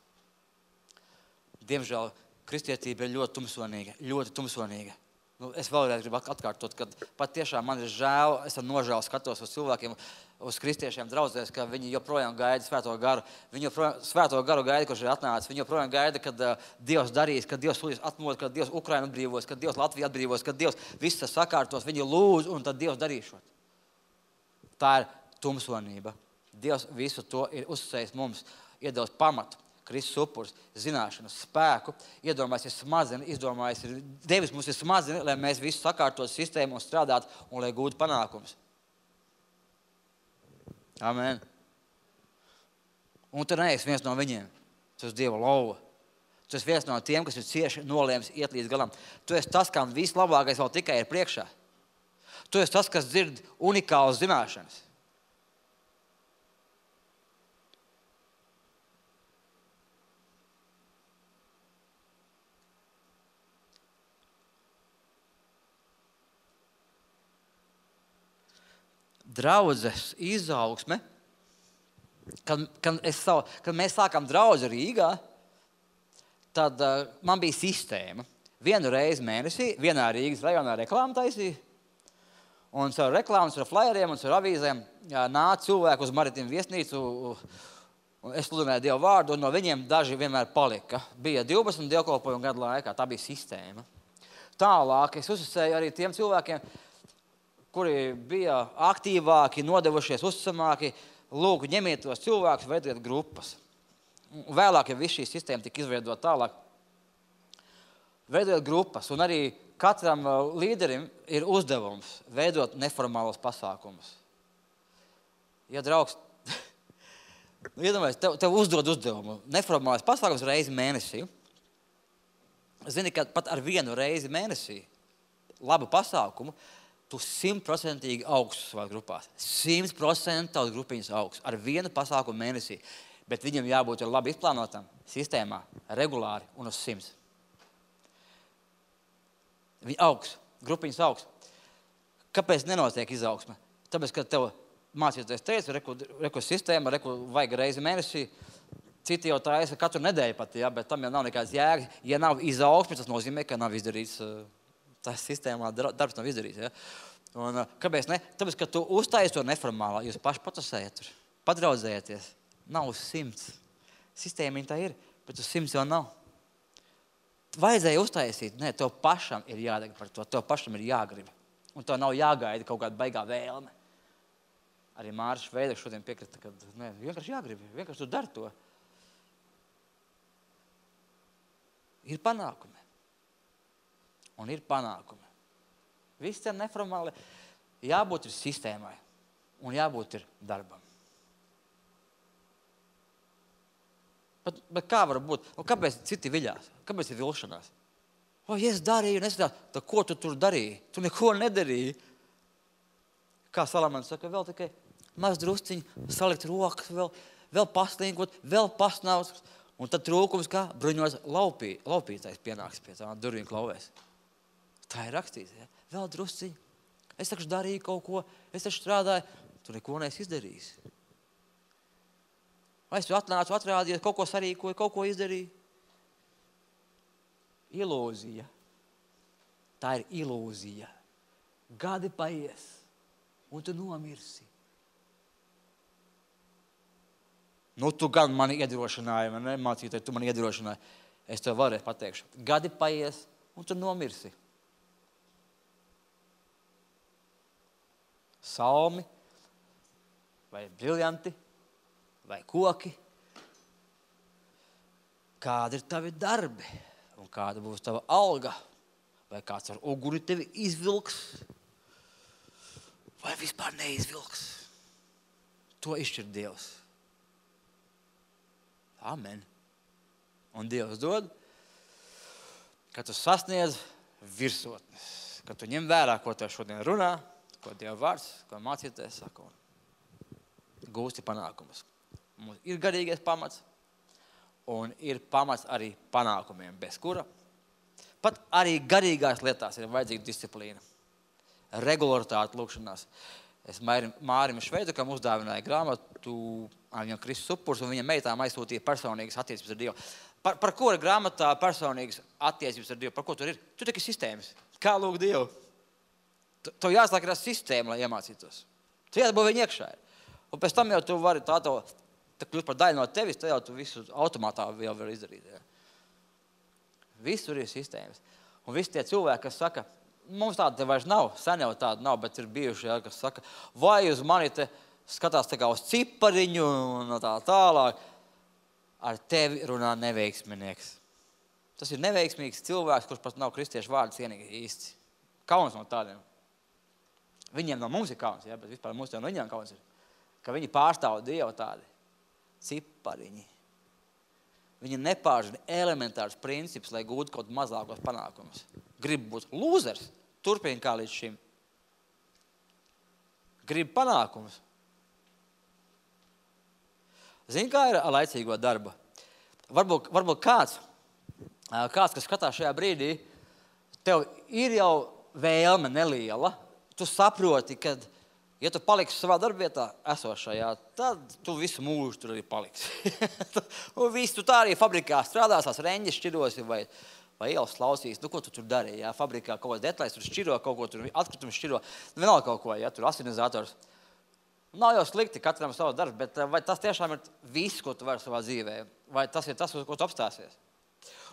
Diemžēl kristietība ir ļoti tumsonīga, ļoti tumsonīga. Nu, es vēlreiz gribu atkārtot, ka pat tiešām man ir žēl, es ar nožēlu skatos uz cilvēkiem, uz kristiešiem draudzēs, ka viņi joprojām gaida svēto garu. Viņi joprojām svēto garu gaida, kurš ir atnācis. Viņi joprojām gaida, kad uh, Dievs darīs, kad Dievs sūtīs atmod, kad Dievs Ukrainu atbrīvos, kad Dievs Latviju atbrīvos, kad Dievs viss sakārtos. Viņi lūdz, un tad Dievs darīšot. Tā ir tumsonība. Dievs visu to ir uzsējis mums, iedevis pamatu. Kristus upuris, zināšanas, spēku, iedomājas ir smazini, izdomājas ir, Devis mums ir smazini, lai mēs visu sakārtot sistēmu un strādātu un lai gūtu panākums. Amen. Un tu neesi viens no viņiem. Tu esi Dieva lauva. Tu esi viens no tiem, kas ir cieši nolēmis iet līdz galam. Tu esi tas, kam vislabākais vēl tikai ir priekšā. Tu esi tas, kas dzird unikālas zināšanas. Draudzes izaugsme, kad, kad, es savu, kad mēs sākām draudzi Rīgā, tad uh, man bija sistēma. Vienu reizi mēnesī, vienā Rīgas rajonā reklāmu taisīja, un caur reklāmas, ar flyeriem un caur avīzēm jā, nāca cilvēku uz Maritīm viesnīcu, un es sludināju Dievu vārdu, un no viņiem daži vienmēr palika. Bija divdesmit dievkalpojumu gadu laikā, tā bija sistēma. Tālāk es uzsēju arī tiem cilvēkiem, kuri bija aktīvāki, nodevušies, uzticamāki, lūk, ņemiet tos cilvēkus, veidojiet grupas. Un vēlāk, ja viss šī sistēma tika izveidota tālāk, veidojot grupas, un arī katram līderim ir uzdevums veidot neformālos pasākumus. Ja draugs, iedomājies, tev, tev uzdod uzdevumu, neformālais pasākums reizi mēnesī. Zini, ka pat ar vienu reizi mēnesī labu pasākumu tu simtprocentīgi augsts savās grupās. Simt procenti tavas grupiņas augsts ar vienu pasākumu mēnesī. Bet viņam jābūt labi izplānotam sistēmā, regulāri un uz simts. Viņi augsts, grupiņas augsts. Kāpēc nenotiek izaugsme? Tāpēc, ka tev mācīties teica, reku, reku sistēma, reku vajag reizi mēnesī. Citi jau taisa katru nedēļu pat, ja, bet tam jau nav nekāds jēgas. Ja nav izaugsme, tas nozīmē, ka nav izdarīts, tā sistēmā darbs nav izdarīts. Ja. Un, kāpēc ne? Tāpēc, ka tu uztaisi to neformālā, jūs paši patusējat tur, padraudzējieties. Nav uz simts. Sistēmiņa tā ir, bet uz simts jau nav. Vajadzēja uztaisīt, nē, tev pašam ir jādeg par to, tev pašam ir jāgrib. Un tev nav jāgaida kaut kāda baigā vēlme. Arī Māris Veideks šodien piekrita, ka nē, vienkārši jāgrib, vienkārši tu dari to. Ir panākumi. Un ir panākumi. Viss tie neformāli jābūt ir sistēmai un jābūt ir darbam. Bet, bet kā var būt? Un kāpēc citi viļās? Kāpēc ir vilšanās? O, ja es darīju, nesatās, tad ko tu tur darīji? Tu neko nedarīji. Kā Salamans saka, vēl tikai maz drusciņi, salikt rokas, vēl, vēl paslinkot, vēl pasnāvs. Un tad trūkums, kā bruņos laupī, laupītais pienāks pie tā durvīm klauvēs. Tā ir rakstīts, ja? Vēl drusciņi. Es taču darīju kaut ko, es taču strādāju, tu neko neesi izdarījis. Vai es tu atnācu, atrādījies, kaut ko sarīkoju, kaut ko izdarīju? Ilūzija. Tā ir ilūzija. Gadi paies, un tu nomirsi. Nu, tu gan mani iedrošināji, man nemācītāji, tu mani iedrošināji. Es tev vēlreiz pateikšu. Gadi paies, un tu nomirsi. Salmi, vai briljanti, vai koki. Kādi ir tavi darbi, un kāda būs tava alga, vai kāds ar uguni tevi izvilks, vai vispār neizvilks. To izšķir Dievs. Amen. Un Dievs dod, ka tu sasniedz virsotnes, ka tu ņem vērā, ko tev šodien runā, ko Dieva vārds, ko mācīties saka, un gūsti panākumus. Mums ir garīgais pamats, un ir pamats arī panākumiem, bez kura. Pat arī garīgās lietās ir vajadzīga disciplīna, regularitāte lūkšanās. Es Mārim Šveidekam uzdāvināju grāmatu, viņam Kristus upurs, un viņa meitām aizsūtīja personīgas attiecības ar Dievu. Par, par ko ir grāmatā personīgas attiecības ar Dievu? Par ko tur ir? Tur tikai sistēmas. Kā lūgt Dievu? Tev jāsāk ir sistēma, lai iemācītos. Tu jāatbūt viņa iekšā. Un pēc tam jau tu vari tā to, tā kļūst par daļu no tevis, tad jau tu visu automātā jau var izdarīt. Ja. Visur ir sistēmas. Un visi tie cilvēki, kas saka, mums tāda te vairs nav, sen jau tāda nav, bet ir bijuši, ja, kas saka, vai uz mani te skatās tā kā uz cipariņu un tā tālāk, ar tevi runā neveiksminieks. Tas ir neveiksmīgs cilvēks, kurš pat nav kristiešu vārdu cienīgi īsti. Kauns no tādiem. Viņiem no mums ir kauns, ja, bet vispār mums jau no viņiem kauns ir. Ka viņi pārstāv Dievu tādi cipariņi. Viņi nepārzina elementārus principus, lai gūtu kaut mazākos panākumus. Grib būt lūzers, turpina kā līdz šim. Grib panākumus. Zini, kā ir ar laicīgo darbu? Varbūt, varbūt kāds, kāds, kas skatās šajā brīdī, tev ir jau vēlme neliela. Tu saproti, ka, ja tu paliksi savā darbvietā esošajā, tad tu visu mūžu tur arī paliksi. Un visu tu tā arī fabrikā strādās, tās reņģis šķirosi vai, vai ielas klausīs. Nu, ko tu tur darīji? Ja? Fabrikā kaut kāds detaļas, tur šķiro kaut ko, tur atkritums šķiro. Vienalga kaut ko, ja? Tur asinizators. Nav jau slikti katram savs darbs, bet vai tas tiešām ir viss, ko tu vari savā dzīvē? Vai tas ir tas, ko tu apstāsies?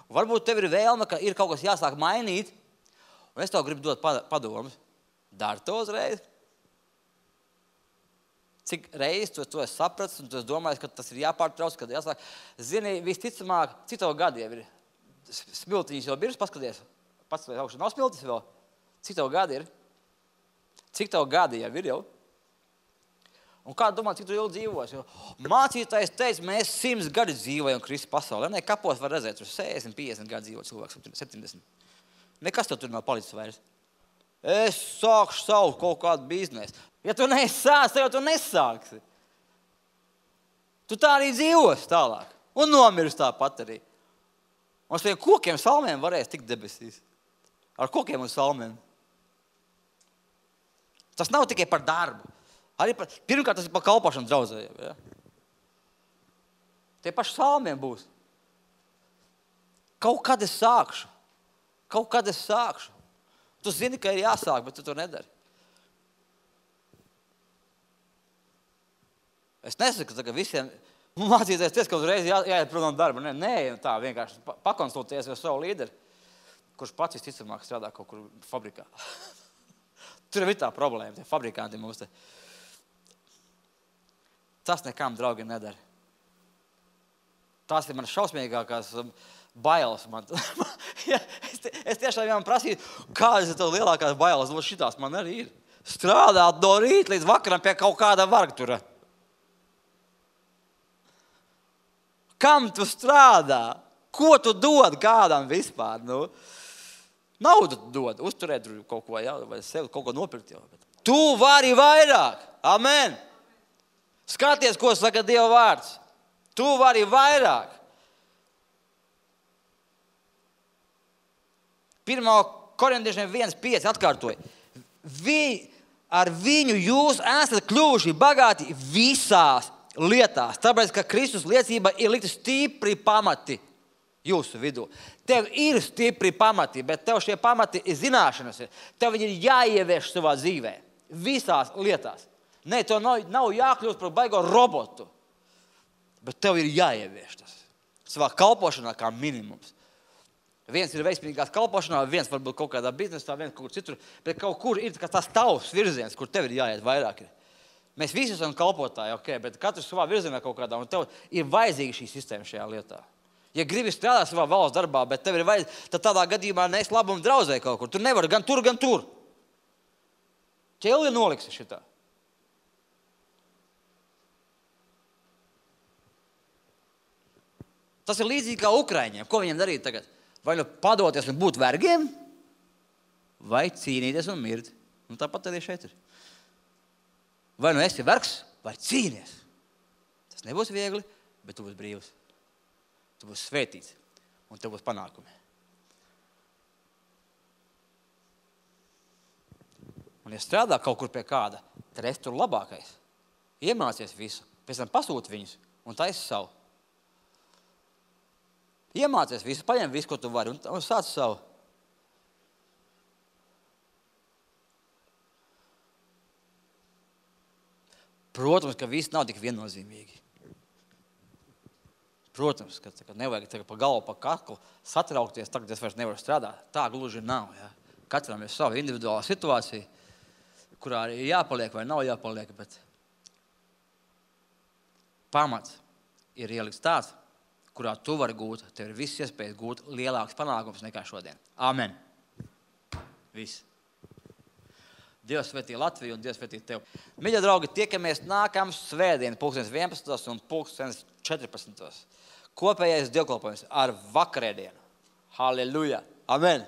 Un varbūt tev ir vēlme, ka ir kaut kas jāsāk mainīt, un es tev gribu dot padomus. Dari to uzreiz, Cik reizes tu to esi sapratis un tu esi domājis, ka tas ir jāpārtrauc, kad jāsāk. Zini, visticamāk, cik tev gadi jau ir? Smiltiņas jau biržas paskaties. Pats vai augšā nav smiltis vēl? Cik tev gadi ir? Cik tev gadi jau ir jau? Un kā domā, cik tu ilgi dzīvos? Mācītājs teica, mēs simts gadi dzīvojam Kristus pasaulē. Ne, kapos var redzēt, tur sešdesmit, piecdesmit gadi dzīvo cilvēks, septiņdesmit. Nekas tev tur nav palicis vairs. Es sākšu savu kaut kādu biznesu. Ja tu nesāc, tad jau tu nesāksi. Tu tā arī dzīvos tālāk. Un nomirs tāpat arī. Un ar saviem kokiem salmiem varēs tikt debesīs. Ar kokiem un salmiem. Tas nav tikai par darbu. Arī par, pirmkārt, tas ir par kalpošanu draudzējiem. Ja? Tie paši salmiem būs. Kaut kad es sākšu. Kaut kad es sākšu. Tu zini, ka ir jāsāk, bet tu to nedari. Es nesaku, ka visiem mācīties ties, ka uzreiz jā, jāiet prom no darba. Nē, nē, tā vienkārši pakonsultēties ar savu līderi, kurš pats visticamāk strādā kaut kur fabrikā. Tur ir tā problēma, tie fabrikanti mums te. Tas nekām, draugi, nedara. Tās ir man šausmīgākās bailes. Man. ja, es, es tiešām viņam prasīju, kādas ir tev lielākās bailes. Šitās man arī ir. Strādāt no rīta līdz vakaram pie kaut kāda vargtura. Kam tu strādā? Ko tu dod kādam vispār? Nu, naudu dod, uzturēt kaut ko, jā, vai sev kaut ko nopirkt. Jau. Tu vari vairāk. Amen. Skaties, ko saka Dieva vārds. Tu vari vairāk. Pirmā korintiešiem viens pieci atkārtoja. Vi, ar viņu jūs esat kļuvuši bagāti visās lietās. Tāpēc, ka Kristus liecība ir likta stipri pamati jūsu vidū. Tev ir stipri pamati, bet tev šie pamati ir zināšanas. Tev viņi ir jāievieš savā dzīvē. Visās lietās. Nē, tev nav, nav jākļūst par baigo robotu. Bet tev ir jāievieš tas. Savā kalpošanā kā minimums. Viens ir veiksmīgās kalpošanā, viens varbūt kaut kādā biznesā, viens kaut kur citur. Bet kaut kur ir tas tavs virziens, kur tev ir jāiet vairāk. Mēs visi esam kalpotāji, ok, bet katrs savā virzienā kaut kādā. Un tev ir vajadzīga šī sistēma šajā lietā. Ja gribi strādāt savā valsts darbā, bet tev ir vajadzīga, tad tādā gadījumā nes labumu draudzē kaut kur. Tu nevari gan tur, gan tur. Ķelli noliksi šitā. Tas ir līdzīgi kā Ukraiņiem. Ko viņiem darīt tagad? Vai nu padoties un būt vergiem, vai cīnīties un mirt. Un tāpat arī šeit ir. Vai nu esi vergs, vai cīnies. Tas nebūs viegli, bet tu būsi brīvs. Tu būsi svētīts un tev būs panākumi. Un ja strādā kaut kur pie kāda, tad esi tur labākais. Iemācies visu, pēc tam pasūti viņus un taisi savu. Iemācies visu, paņem visu, ko tu vari, un, un sāc savu. Protams, ka viss nav tik viennozīmīgi. Protams, ka, ka nevajag tagad pa galvu, pa kaklu satraukties, tagad es vairs nevaru strādāt. Tā gluži nav. Ja? Katram ir sava individuāla situācija, kurā ir jāpaliek vai nav jāpaliek, bet pamats ir ielikts tāds, kurā tu vari gūt, tev ir viss iespējas gūt lielāks panākums nekā šodien. Amen. Viss. Dievs svētī Latviju un Dievs svētī tev. Mīļie draugi, tiekamies nākamā svētdien, pulkstens vienpadsmitos un pulkstens četrpadsmitos. Kopējais dievkalpojums ar vakarēdienu. Halleluja. Amen.